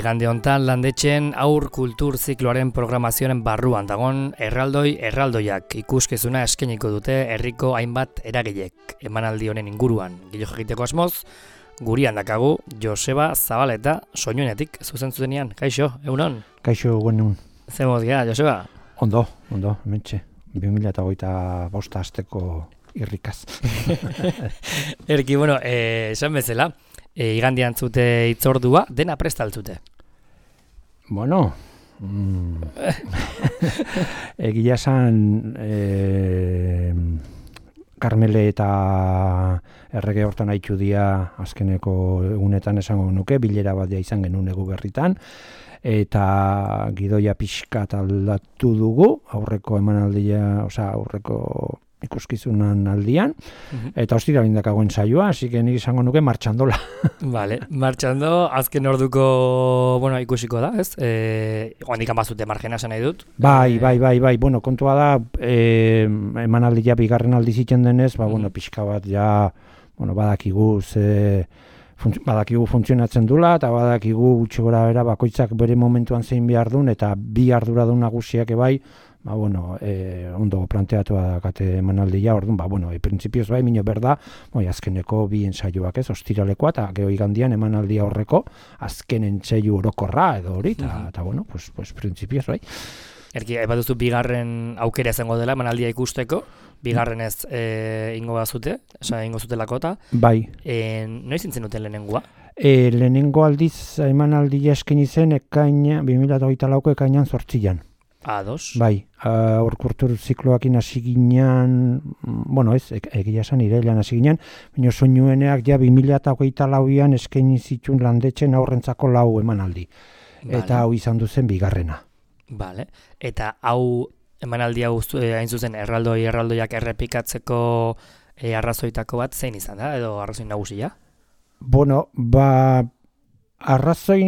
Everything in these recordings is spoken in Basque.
Igande hontan landetxen aur kultur zikloaren programazioaren barruan dagon erraldoiak ikuskizuna eskainiko dute herriko hainbat eragilek emanaldi honen inguruan. Gilo jakiteko asmoz, gurian dakagu Joseba Zabaleta soinuenetik zuzenean. Kaixo, egunon? Kaixo, egunon. Zer moz gara, Joseba? Ondo, hementxe. 2025 hasteko irrikaz. Erki, esan bezala, igandian zute itzordua, dena prestaltzute. Bueno, egia esan Karmele eta errege hortan haitxu dia azkeneko egunetan esango nuke, bilera bat dia izan genuen egu berritan, eta gidoia pixkat aldatu dugu, aurreko emanaldia, aurreko ikuskizunan aldian, eta hostira lindakagoen saioa, hasi que nik izango nuke martxandola. Vale, martxando, azken orduko, ikusiko da, ez? Oandikan bazute margena esan nahi dut. Bai, kontua da, emanaldia bigarren aldi zitzen denez, pixka bat ja, badakigu funtzionatzen dula, eta badakigu gutxi gora bera bakoitzak bere momentuan zein behar duen, eta bi arduradun nagusiak ebai, ondo planteatu dakate emanaldia, orduan, printzipioz bai, mino berda, azkeneko bi ensaioak ez, ostiralekoa, eta geho igandian emanaldia horreko, azken ensaio orokorra edo hori, eta printzipioz bai. Erki, baduzu bigarren aukera izango dela emanaldia ikusteko, bigarren ez ingo bazute, ingo zutelako eta. Bai. Noiz zintzen duten lehenengoa? Lehenengo aldiz emanaldia eskaini zen 2024ko ekainan 8an. Ados. Bai, kultur zikloakin hasi ginean, egia esan irailean hasi ginean, baina soinueneak ja 2024an eskaini zituen landetxen aurrentzako 4 emanaldi. Vale. Eta hau izan duzen bigarrena. Vale. Eta hau emanaldia hain zuzen erraldoiak errepikatzeko arrazoitako bat zein izan da, edo arrazoi nagusia? Arrazoi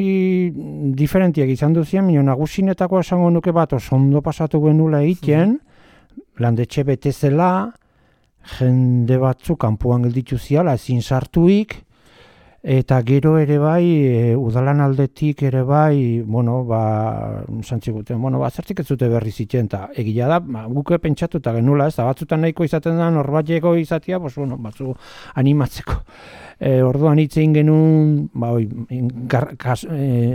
diferentiak izan duzien, nagusinetako esango nuke bat ondo pasatu genula egiten, landetxe betezela, jende batzu kanpoan gelditu ziala, ezin sartuik, eta gero ere bai, udalan aldetik ere bai, santziguten, zertik ez zute berri zitzen, eta egia da, guke pentsatuta genula, ez da, batzutan nahiko izaten da, norbateko izatea, batzu animatzeko. Orduan hitzein genuen,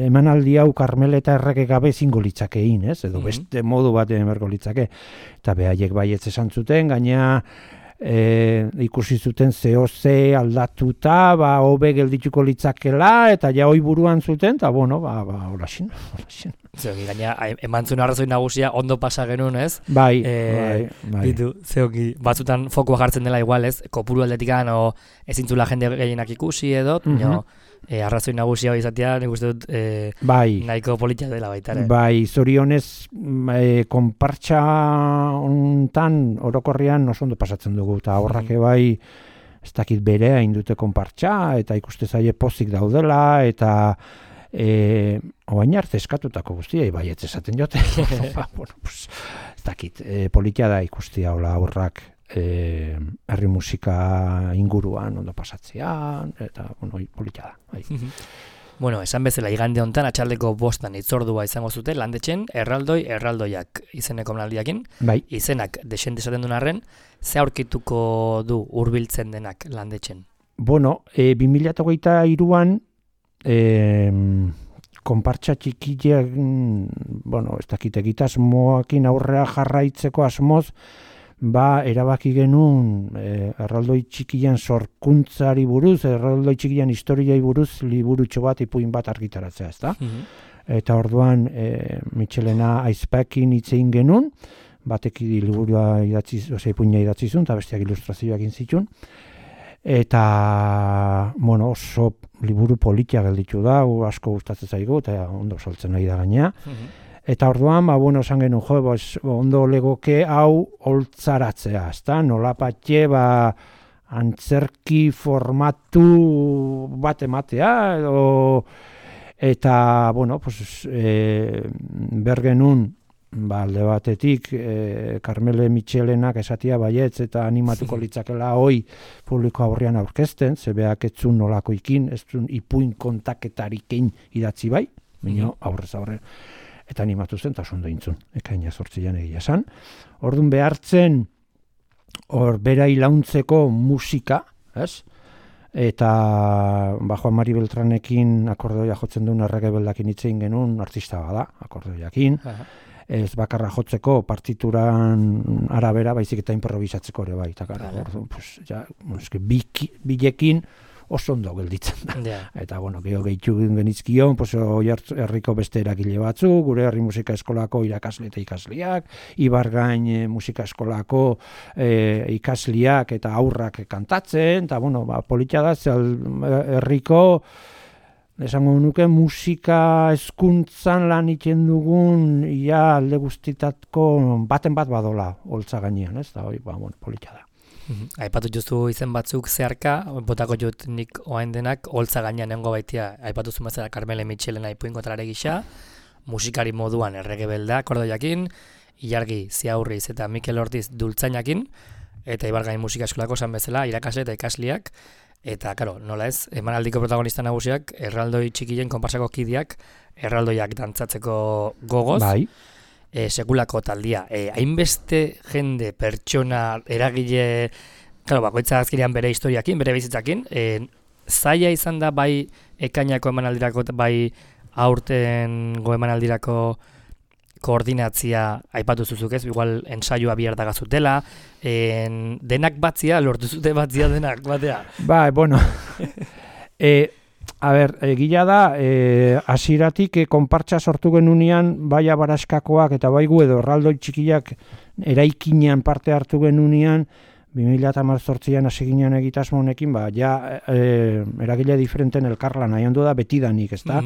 emanaldi hau Karmele eta errege gabe zingo litzakein, ez? Edo beste modu batean berko litzake. Eta behaiek baietz esan zuten, gaina ikusi zuten ze aldatuta, hobe geldituko litzakela, eta ja hoi buruan zuten, eta horaxin. Zeogi, gaina, emantzun arrazoi nagusia ondo pasa genuen, ez? Bai. Ditu, zeogi, batzutan fokua jartzen dela igual, ez? Kopuru aldetikan, ezintzula jende gehienak ikusi edo, arrazoi nagusia izatea, nik uste dut nahiko politia dela baitare. Bai, zorionez, konpartxa hontan orokorrian oso ondo pasatzen dugu, eta horrak bai, ez dakit berea indute konpartxa, eta ikuste zaie pozik daudela, eta oain arte eskatutako guztia, baietz esaten jote. Ez dakit, politia da ikustia hola aurrak herri musika inguruan ondo pasatzean, eta politia da. Esan bezala igande hontan atxaldeko 5 itzordua izango zute landetxen erraldoiak izeneko emanaldiakin. Bai. Izenak desente esaten duen arren, ze aurkituko du hurbiltzen denak landetxen? 2023an konpartxa txikiak, ez dakit egitasmoakin aurrea jarraitzeko asmoz, erabaki genuen erraldoi txikian sorkuntzari buruz, erraldoi txikian historiai buruz, liburutxo bat, ipuin bat argitaratzea, ezta? Eta orduan, Michelena Aizpekin hitzein genuen, batek liburua ipuina idatzi zuen, eta besteak ilustrazioak intzitun. Eta, oso liburu politia gelditu da, asko gustatzen zaigu, eta ondo saltzen nahi da gainea. Eta orduan, esan genuen, ondo legoke hau holtzaratzea, ezta? Nolapatxe, antzerki formatu bat ematea, eta, bergenun, alde batetik, Karmele Michelenak esatia baietz eta animatuko litzakela hoi publiko aurrean aurkezten, zebeak etzun nolakoikin, etzun ipuin kontaketarikin idatzi bai. Baina aurrez aurre. Eta animatu zen, eta ondo intzun. Ekaina 8 egia esan. Orduan behartzen, hor bera ilauntzeko musika, ez? Eta Juan Mari Beltranekin akordeoia jotzen duen errege beldakin hitzein genuen artista bada, akordeoiakin. Ez bakarra jotzeko partituran arabera, baizik eta improvisatzeko ere bai. Eta gara, pues, ja, bilekin oso ondo gelditzen da. Yeah. Eta, gehitu genizkion, herriko beste eragile batzu, gure herri musika eskolako irakasle eta ikasliak, Ibargain musika eskolako ikasliak eta aurrak kantatzen, eta, polita da, herriko, esango nuke musika hezkuntzan lan iten dugun, alde guztitatko baten bat badola, holtza gainean, ez da, polita da. Aipatu justu izen batzuk zeharka, botako jut nik oain denak, holtza gainean nengo baitia, aipatu zumazera Carmele Mitxelena ipuinko trare gisa, musikari moduan errege belda, akordeoiakin, Ilargi Ziaurriz eta Mikel Ortiz dultzainakin, eta Ibargain musika eskolako esan bezala, irakasle eta ikasliak, eta, nola ez, emanaldiko protagonista nagusiak, erraldoi txikien konparsako kideak, erraldoiak dantzatzeko gogoz, bai. Sekulako taldia. Hainbeste jende, pertsona, eragile, bakoitza azkenean bere historiakin, bere bizitzakin, zaila izan da bai ekainako emanaldirako, bai aurtengo emanaldirako koordinatzia aipatu zuzuk ez, igual ensaioa bihar dagazutela, denak batzia, lortu zute batzia denak, batea. Bai, gila da, hasieratik konpartsa sortu genunean, bai abaraskakoak eta bai gu edo erraldoi txikiak eraikinean parte hartu genunean, 2018an hasi ginean egitasmo honekin, eragile diferenten elkarlan nahi ondo da betidanik, ez da?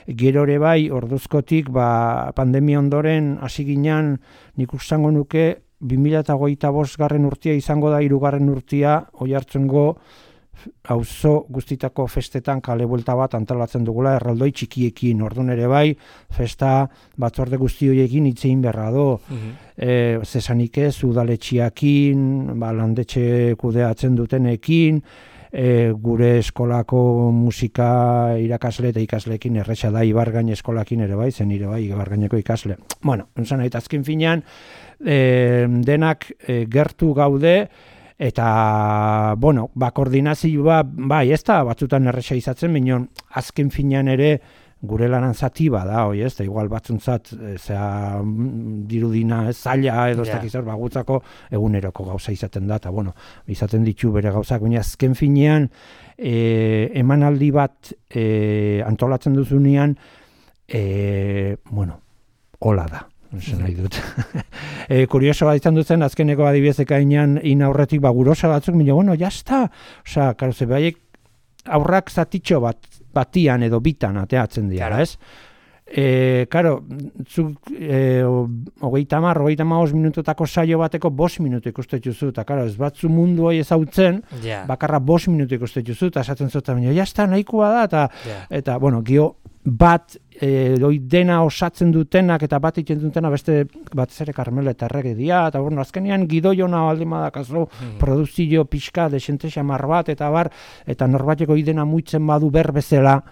Gero ere bai, orduzkotik, pandemia ondoren hasi ginean, nik ustango nuke, 2025 urtea izango da 3. urtea, Oiartzungo auzo guztitako festetan kale buelta bat antolatzen dugula erraldoi txikiekin, orduan ere bai, festa batzorde guzti horiekin hitzein berra do. Zesanik ez, udaletxiakin, landetxe kudeatzen dutenekin, gure eskolako musika irakasle eta ikasleekin erresa da Ibargain eskolakin ere bai, zen ere bai Ibargaineko ikasle. Entzan nahi, azken finean, denak gertu gaude, eta, koordinazioa, bai, ez da, batzutan erresa izatzen, minon, azken finean ere, gure lanan zati bada, ez da, igual batzuntzat, dirudina, zaila, edo ez dakizar, bagutzako, eguneroko gauza izaten da, eta, izaten ditu bere gauzak, baina azken finean, emanaldi bat antolatzen duzunean, hola da. Nahi dut. Kuriosoa izan duzen, azkeneko adibidez ekainean inaurretik gurosa batzuk, jazta. Osa, ze baiek aurrak zatitxo batian edo bitan ateatzen dira, ez? Zuk 30-35 minutotako saio bateko 5 minutu ikustetuzu, eta ez batzu mundu hori ezautzen, bakarra 5 minutu ikustetuzu, eta esaten zuta, jazta, nahikoa da, eta, gio, bat dena osatzen dutenak eta bat iten dutena beste bat zere Carmele eta errege dia, eta azkenean gidoiona baldin badakazu produzio pixka desente xamar bat eta bar, eta norbateko idena muitzen badu berbezela,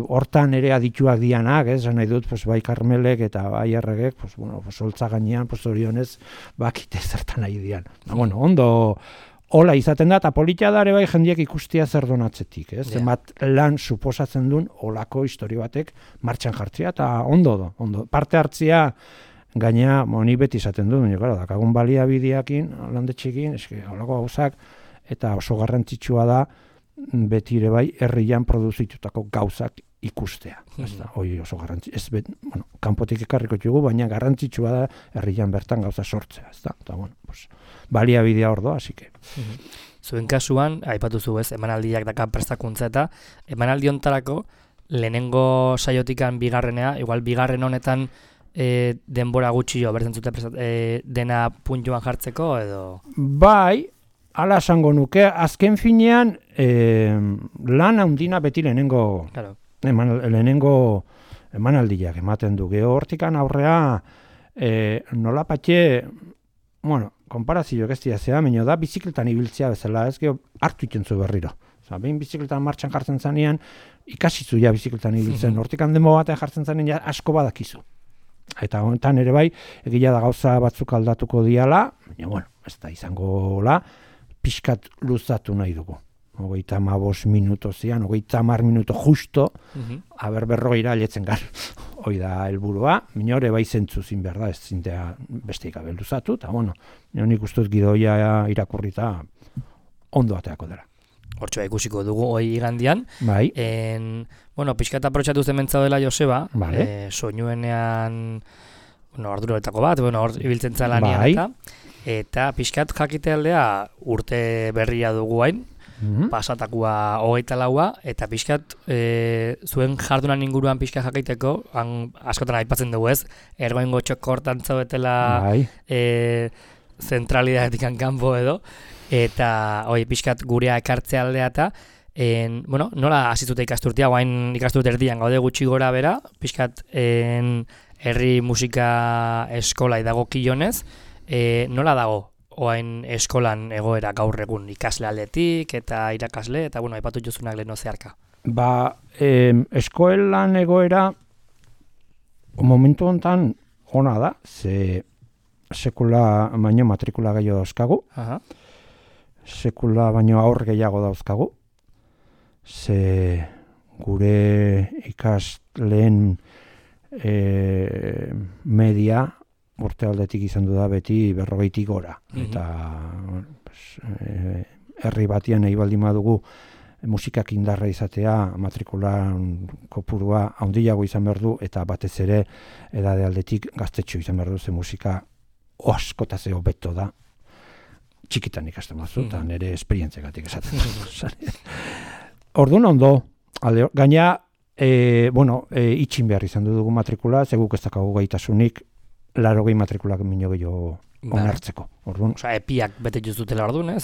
hortan ere adituak dianak, nahi dut, bai Carmelek eta bai erregek, holtza gainean, orionez, bakite zertan nahi dian. Ondo, hola izaten da, eta polita da ere bai jendiek ikustia zer donatzetik, zenbat lan suposatzen duen holako historio batek martxan jartzea, eta ondo. Parte hartzea gaina, ni beti izaten duen, dakagun baliabideakin, landetxekin, holako gauzak, eta oso garrantzitsua da, beti ere bai herrian produzitutako gauzak ikustea. Hoi oso garrantzitsua, kanpotik ekarriko txugu, baina garrantzitsua da herrian bertan gauza sortzea, eta baliabidea hor doa, asike. Zuen kasuan, aipatu zu ez, emanaldiak dakan prestakuntza eta emanaldi hontarako lehenengo saiotikan bigarrenea, igual bigarren honetan denbora gutxi jo, bertzen zute dena puntuan jartzeko edo? Bai, hala esango nuke, azken finean lan handina beti lehenengo emanaldiak ematen du. Hortikan aurrea nola patxe, konparazioak ez dira zea, baina da bizikletan ibiltzea bezala, ez hartu itentzu berriro. Behin bizikletan martxan jartzen zanean, ikasizu ja bizikletan ibiltzen. Hortik demo batean jartzen zanean ja asko badakizu. Eta honetan ere bai, egia da gauza batzuk aldatuko diala, baina bueno, ez da izango pixkat luzatu nahi dugu. 35 minuto zian, 30 minuto justo, aber 40 aletzen gar. Hoi da helburua, minore bai zentzu zin behar da, ez zintea besteik abeluzatu, eta bueno, nik ustuz gidoia irakurrita ondo ateako dela. Hortxoa ikusiko dugu hoi igandian. Bai. Bueno, pixkat aprotxatu zementza dela Joseba, vale. Soinuenean, arduroetako bat, hor ibiltzen zalanian bai. eta pixkat jakitealdea urte berria dugu hain, pasatakua 24 eta pixkat zuen jardunan inguruan pixkat jakiteko, askotan aipatzen dugu ez, ergoingo txokortan zaudetela zentralidadetik kanpo edo, eta pixkat gurea ekartzea aldea eta nola hasitute ikasturtea, guain ikasturte erdian gaude gutxi gora bera, pixkat herri musika eskola dago kilonez, nola dago oain eskolan egoera gaur egun ikasle aldetik eta irakasle, eta aipatu jozunak leheno zeharka. Eskolan egoera momentu honetan ona da, ze sekula baino matrikula gehiago dauzkagu, sekula baino aur gehiago dauzkagu, ze gure ikasleen media urte aldetik izan du da beti 40 gora. Eta herri batian nahi baldin badugu musikak indarra izatea, matrikulan kopurua handiago izan behar du, eta batez ere edade aldetik gaztetxo izan behar du, ze musika askotaz hobeto da, txikitan ikasten bazu, eta nire esperientziagatik esaten du. Orduan ondo, gaina, itxin behar izan dugu matrikula, ze guk ez dakagu gaitasunik, 80 matrikulak minio gehiago onartzeko. Osa, epiak bete juzutela orduan, ez?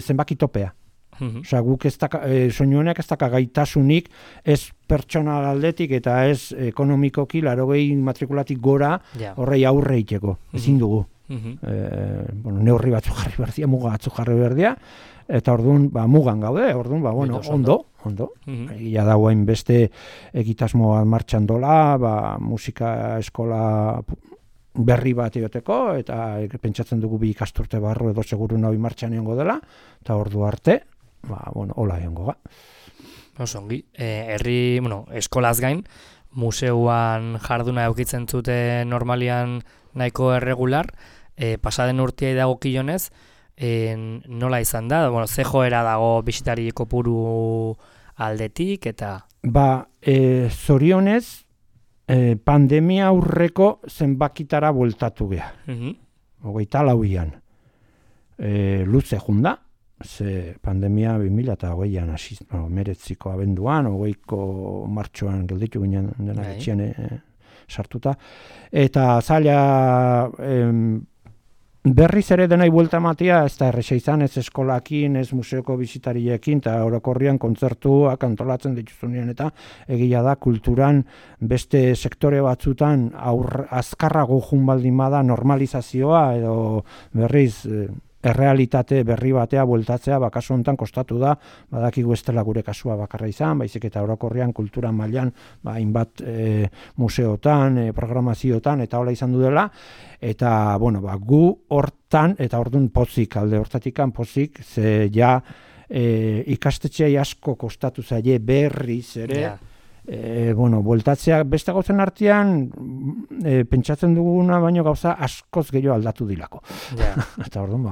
Zenbaki topea. Osa, guk soinuenak ez daka gaitasunik, ez pertsonal aldetik eta ez ekonomikoki 80 matrikulatik gora horrei aurre iteko. Ezin dugu. Neurri batzuk jarri berdia, muga batzuk jarri berdia, eta orduan mugan gaude, orduan ondo. Egia da guain beste egitasmoa martxan dola, musika eskola berri bat egoteko, eta pentsatzen dugu 2 ikasturte barru edo seguru nahi martxan egongo dela, eta ordu arte, hola egongo ga. Osongi, herri, eskolaz gain, museuan jarduna eukitzen zute normalian nahiko erregular, pasaden urtea dago kilonez, nola izan da? Ze joera dago bisitari kopuru aldetik, eta... Zorionez, pandemia aurreko zenbakitara bueltatu geha. 24an. Luze junda, ze pandemia 2008an hasi, 19ko abenduan, 20ko martxoan gelditu ginen denak etxian sartuta, eta zaila berriz ere denai buelta ematea, ez da erresa izan, ez eskolakin, ez museoko bisitariekin, eta orokorrian kontzertuak antolatzen dituzunean, eta egia da kulturan beste sektore batzutan azkarrago jun baldin bada normalizazioa, edo berriz errealitate berri batea bueltatzea, kasu honetan kostatu da, badakigu ez dela gure kasua bakarra izan, baizik eta orokorrian kultura mailan hainbat museotan, programaziotan, eta hola izan du dela, eta gu hortan, eta orduan pozik, alde hortatikan pozik, ze ja ikastetxeai asko kostatu zaie berriz ere, bueltatzea beste gauzen artean pentsatzen duguna baino gauza askoz gehiago aldatu dilako. Eta orduan,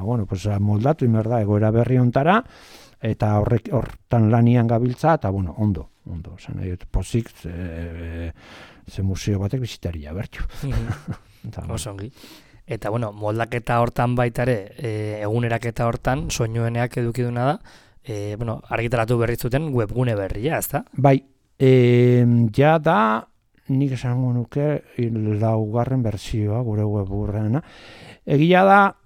moldatu inber da egoera berri ontara, eta hortan lanian gabiltza, eta ondo. Pozik, ze museo batek bizitaria bertu. Osongi. Eta, moldaketa hortan baitare, eguneraketa hortan, soinueneak edukiduna da, argitaratu berrizuten webgune berria, ez da? Bai. Ja da, nik esango nuke 4. bertsioa gure webgurreana. Egia da,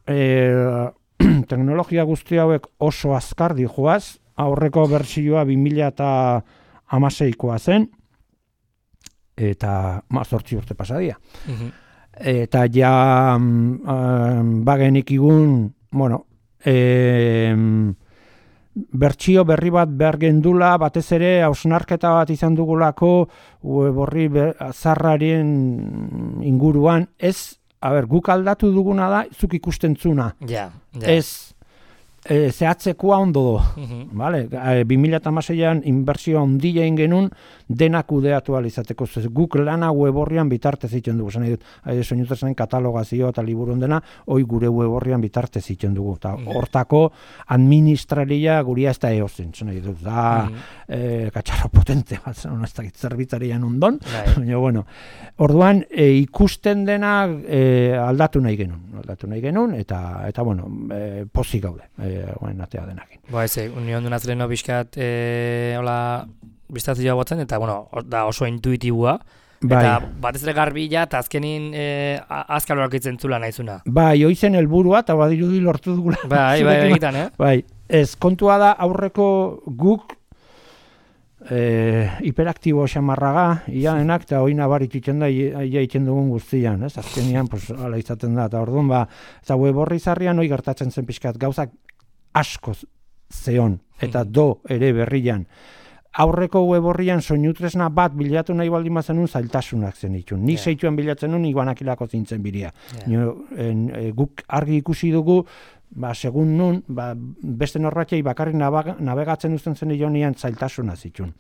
teknologia guzti hauek oso azkar dijoaz, aurreko bertsioa 2016koa zen, eta 18 urte pasadia. Eta ja bagenik igun, bertsio berri bat behar gendula, batez ere hausnarketa bat izan dugulako web orri zarraren inguruan, guk aldatu duguna da, zuk ikusten zuna. Ez, zehatzekoa ondo do. Vale? 2016an inbertsioa handia egin genuen denak kudeatu ahal izateko. Guk lana web orrian bitartez egiten dugu. Zan edut, soinutresnen katalogazio eta liburuen dena, hoi gure web orrian bitartez egiten dugu. Ta hortako administraria guria ez da eozen. Zan edut, katxarro potente bat, ez da zerbitzarian ondon. Bueno, orduan, ikusten dena aldatu nahi genuen, eta bueno, pozik gaude. Oen atea denakin. Union du nazleno bizkat biztazioa botzen, eta bueno, da oso intuitibua, eta batez ere garbila, eta azkenin azkal horak zula nahizuna. Oizen helburua, eta badirudi lortu dugula. Egitan, Ez, kontua da aurreko guk hiperaktibo xamarraga, ianenak, eta hoi nabarit iten da, ia iten dugun guztian, ez? Azkenian, ala izaten da, eta orduan, eta web orri zarrian hoi gertatzen zen pixkat, gauzak asko zeon, eta do ere berrian. Aurreko web orrian soinutresna bat bilatu nahi baldin bazenun zailtasunak zen itun. Nik zeituen bilatzen nun, iguanakilako zintzen biria. Guk argi ikusi dugu, segun nun, beste norbatxei bakarrik navegatzen uzten zen ionian zailtasuna zitun.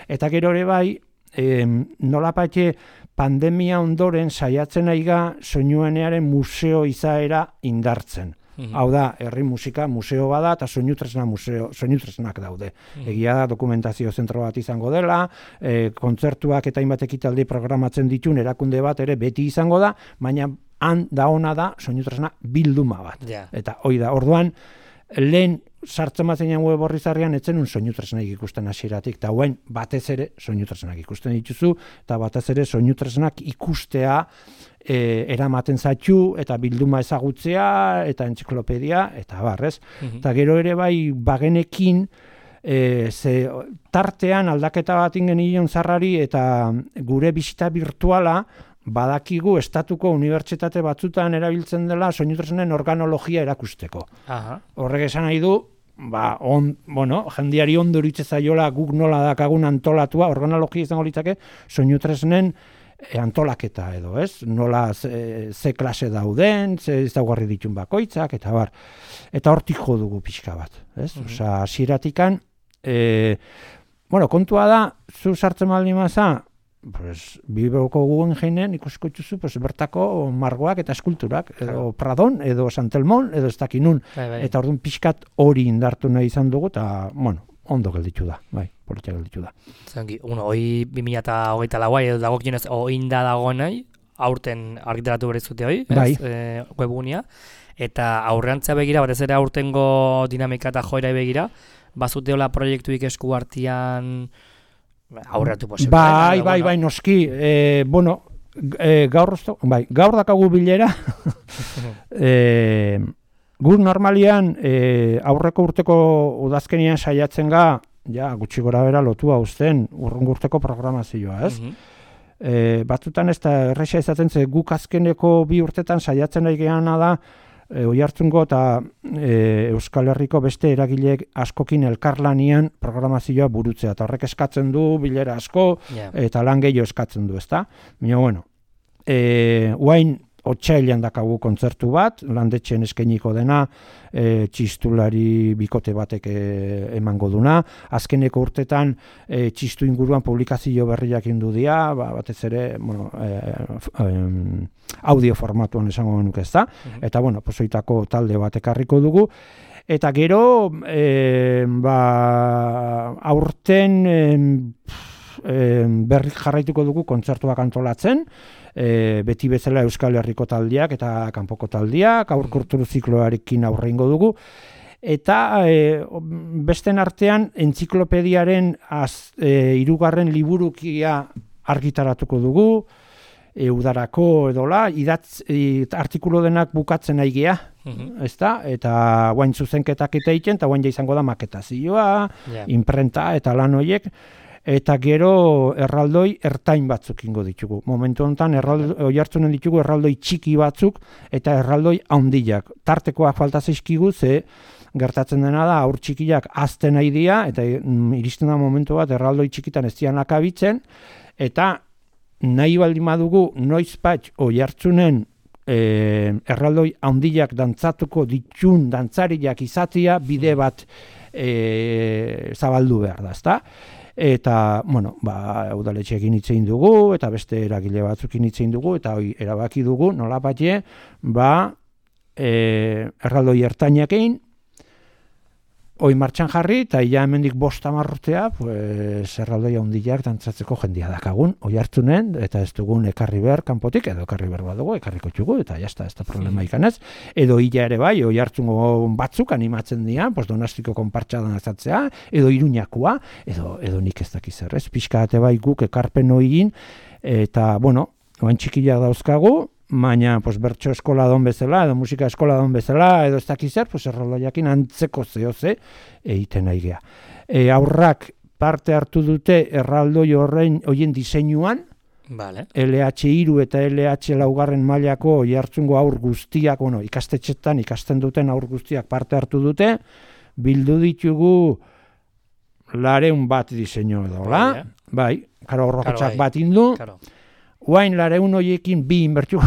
Eta gero ere bai, nolapatxe pandemia ondoren saiatzen aiga soinuenearen museo izaera indartzen. Hau da, herri musika museo bada eta soinutresnak daude. Egia da, dokumentazio zentro bat izango dela, kontzertuak eta hainbat ekitaldi programatzen ditun erakunde bat ere beti izango da, baina han da ona da soinutresna bilduma bat. Eta hoi da, orduan, lehen sartzen bazenean web orri zarrian etzen un soinutresnak ikusten hasieratik, eta hauen batez ere soinutresnak ikusten dituzu, eta batez ere soinutresnak ikustea eramaten zaitu, eta bilduma ezagutzea, eta entziklopedia, eta barrez. Eta gero ere bai bagenekin, tartean aldaketa bat ingenion zarrari, eta gure bisita virtuala, badakigu estatuko unibertsitate batzutan erabiltzen dela soinutresnen organologia erakusteko. Horrek esan nahi du, jendiari ondo iritze zaiola guk nola dakagun antolatua, organologia izango litzake soinutresnen antolaketa edo, ez? Nola ze klase dauden, ze ezaugarri ditun bakoitzak, eta bar. Eta hortik jo dugu pixka bat, ez? Osea, hasieratikan, kontua da, zu sartzen baldin maza, Bilboko guen jeinen ikusiko dituzu bertako margoak eta eskulturak, edo Pradon, edo Santelmon, edo ez dakinun. Eta orduan pixkat hori indartu nahi izan dugu, eta, ondo gelditu da, politia gelditu da. Hoi 2024 edo dagokionez oinda dago nahi, aurten argitaratu berezute hoi, webunia, eta aurreantzea begira, batez ere aurtengo dinamika eta joera begira, bazuteola proiektuik esku hartian aurreatu posible. Bai, noski, gaur dakagu bilera, gur normalian aurreko urteko udazkenian saiatzen ga, gutxi gora bera lotua uzten urrungo urteko programazioa, ez? Batzutan ez da erresa izaten ze guk azkeneko 2 urtetan saiatzen nahi geana da Oiartzungo eta Euskal Herriko beste eragileek askokin elkarlanian programazioa burutzea. Eta horrek eskatzen du bilera asko eta lan gehiago eskatzen du, ezta? Baina, uain otsailean dakagu kontzertu bat, landetxen eskainiko dena, txistulari bikote batek emango duna. Azkeneko urtetan txistu inguruan publikazio berriak indu dira, batez ere, audio formatuan esango genuke, ezta? Eta, pozoitako talde bat ekarriko dugu. Eta gero, aurten berrik jarraituko dugu kontzertuak antolatzen, beti bezala Euskal Herriko taldiak eta kanpoko taldiak, aur kultur zikloarekin aurreingo dugu, eta besten artean entziklopediaren 3. liburukia argitaratuko dugu, udarako edola, artikulu denak bukatzen nahi gea, ezta? Eta guain zuzenketak eta egiten, eta guain izango da maketazioa, imprenta eta lan horiek. eta gero erraldoi ertain batzuk ingo ditugu. Momentu honetan Oiartzunen ditugu erraldoi txiki batzuk eta erraldoi handiak. Tartekoak falta zaizkigu ze gertatzen dena da aur txikiak azten nahi dira eta iristen da momentu bat erraldoi txikitan ez dian akabitzen eta nahi baldin badugu noizbait Oiartzunen erraldoi handiak dantzatuko ditun dantzariak izatea bide bat zabaldu behar da, ezta? Eta, bueno, udaletxeekin hitz egin dugu, eta beste eragile batzukin hitz egin dugu, eta hori erabaki dugu, nolapatxe, erraldoi ertainakein, hoi martxan jarri, eta ia hemendik 5 urtea, pues, erraldoi handiak dantzatzeko jendia dakagun, Oiartzunen, eta ez dugun ekarri behar kanpotik, edo ekarri behar badugu, ekarriko txugu, eta jazta, ez da problema ikanez. Edo illa ere bai, Oiartzungo batzuk animatzen dira, pues, Donastiko konpartsa dantzatzea, edo Iruñakoa, edo nik ez dakiz zer, ez? Pixka ate bai guk ekarpen egin, eta, bueno, oain txikiak dauzkagu, baina pues, bertso eskola don bezala, edo musika eskola don bezala, edo ez dakiz zer, pues, erraldoiakin antzeko zehoze egiten nahi geha. Aurrak parte hartu dute erraldoi horien diseinuan, Vale. LH3 eta LH4 mailako Oiartzungo aur guztiak, bueno, ikastetxetan ikasten duten aur guztiak parte hartu dute, bildu ditugu 200 bat diseinu edo, bai, karo horrokatxak bat indu, Uain 200 horiekin 2 inbertu.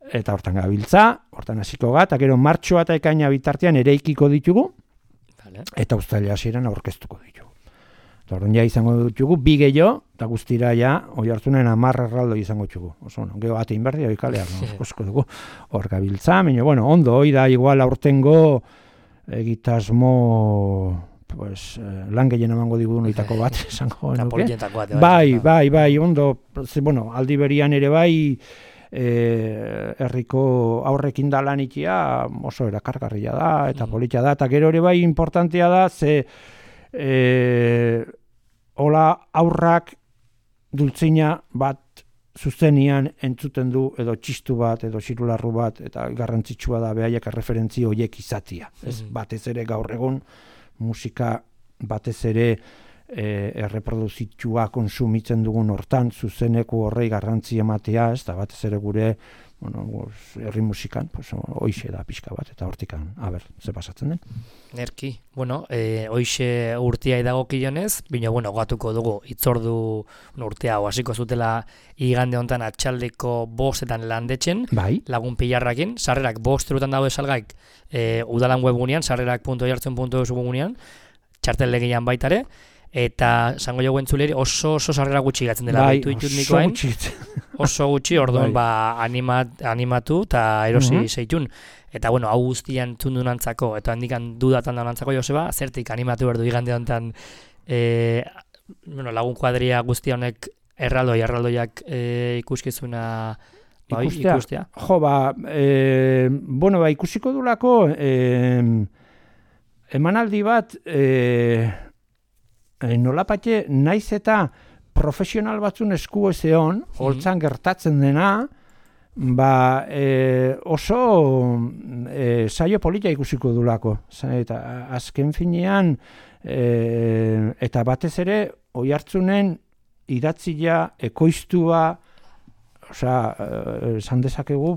Eta hortan gabiltza, hortan hasiko ga, eta gero martxoa eta ekaina bitartean ereikiko ditugu, eta uztailea hasieran aurkeztuko ditugu. Orduan ja izango ditugu, 2 gehiago, eta guztira ja, Oiartzunen 10 erraldoi izango ditugu. Oso, no, geho ate inberdi, oikalea, osko dugu, hor gabiltza, baina, bueno, ondo, hoi da, igual aurtengo egitasmo... Pues, lan gehien emango digu noitako bat, esango nuke. Bai, ondo, bueno, aldi berian ere bai, herriko aurrekin da lan ikia, oso erakargarria da, eta politia da, eta gero ere bai importantea da, ze hola aurrak dultzina bat zuzenian entzuten du, edo txistu bat, edo xirularru bat, eta garrantzitsua da behaiek erreferentzi horiek izatia. Ez batez ere gaur egun, musika batez ere erreproduzitua konsumitzen dugun hortan, zuzeneko horrei garrantzi ematea, ez da batez ere gure herri musikan, hoixe da pixka bat, eta hortikan, ze pasatzen den. Nerki, hoixe urtea idagokionez, bina, gatuko dugu, itzordu urtea, hasiko zutela igande hontan atxaldeko 5etan landetxen, lagun pilarrakin, sarrerak 5 eurotan daude salgaik, udalan webgunean, sarrerak.oiartzun.eus webgunean, txartel legian baitare, eta zango jo entzuleri oso sarrera gutxi gatzen dela. Oso gutxi, orduan animatu eta erosi zeitun. Eta hau guztian txundunantzako, eta handikan dudatan daunantzako, Joseba, zertik animatu berdu igande honetan lagun kuadria guzti honek erraldoiak ikuskizuna ikustea? Jo, ikusiko dulako emanaldi bat nolapatxe naiz eta profesional batzun esku ezeon, holtzan gertatzen dena, oso saio polita ikusiko dulako. Eta azken finean, eta batez ere, Oiartzunen idatzia, ekoiztua, esan dezakegu,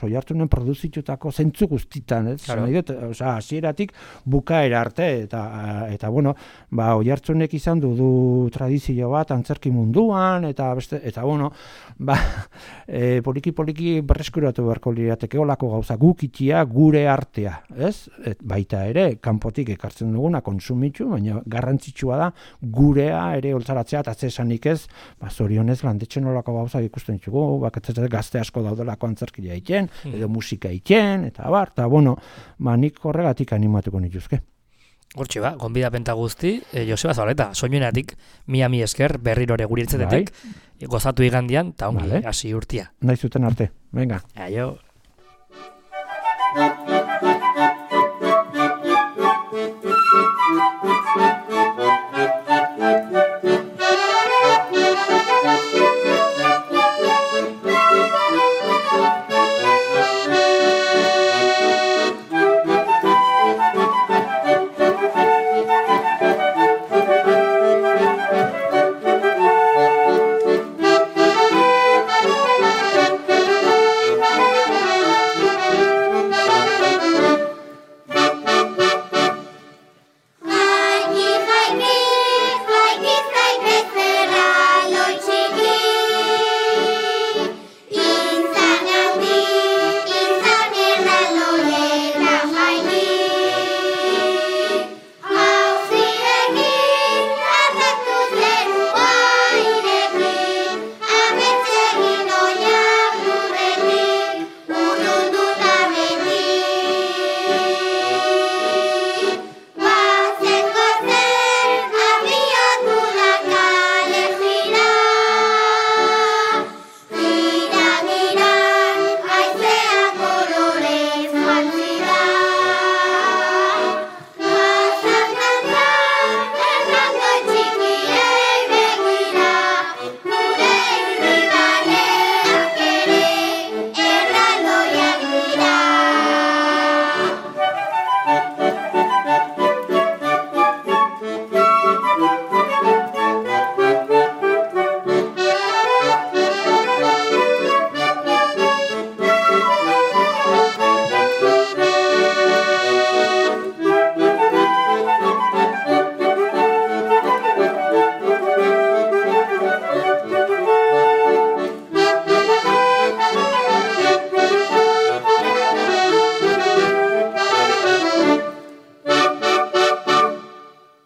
Oiartzunen produzitutako zentzu guztitan, hasieratik bukaera arte, eta Oiartzunek izan du tradizio bat antzerki munduan, eta poliki berreskuratu beharko lirateke olako gauza gukitia gure artea, ez? Baita ere, kanpotik ekartzen duguna konsumitzu, baina garrantzitsua da gurea ere holtzaratzea, eta zesanik ez, zorionez landetxen olako gauza ikusten txugu, gazte asko daudelako antzerkia egiten, edo musika egiten, eta nik horregatik animatuko nituzke. Hortxe gonbidapenta guzti, Joseba Zabaleta, soinuenatik, mi esker, berrirore guri entzetetik, gozatu igandian, eta ongi, hasi urtia. Nahi zuten arte, venga. Aio.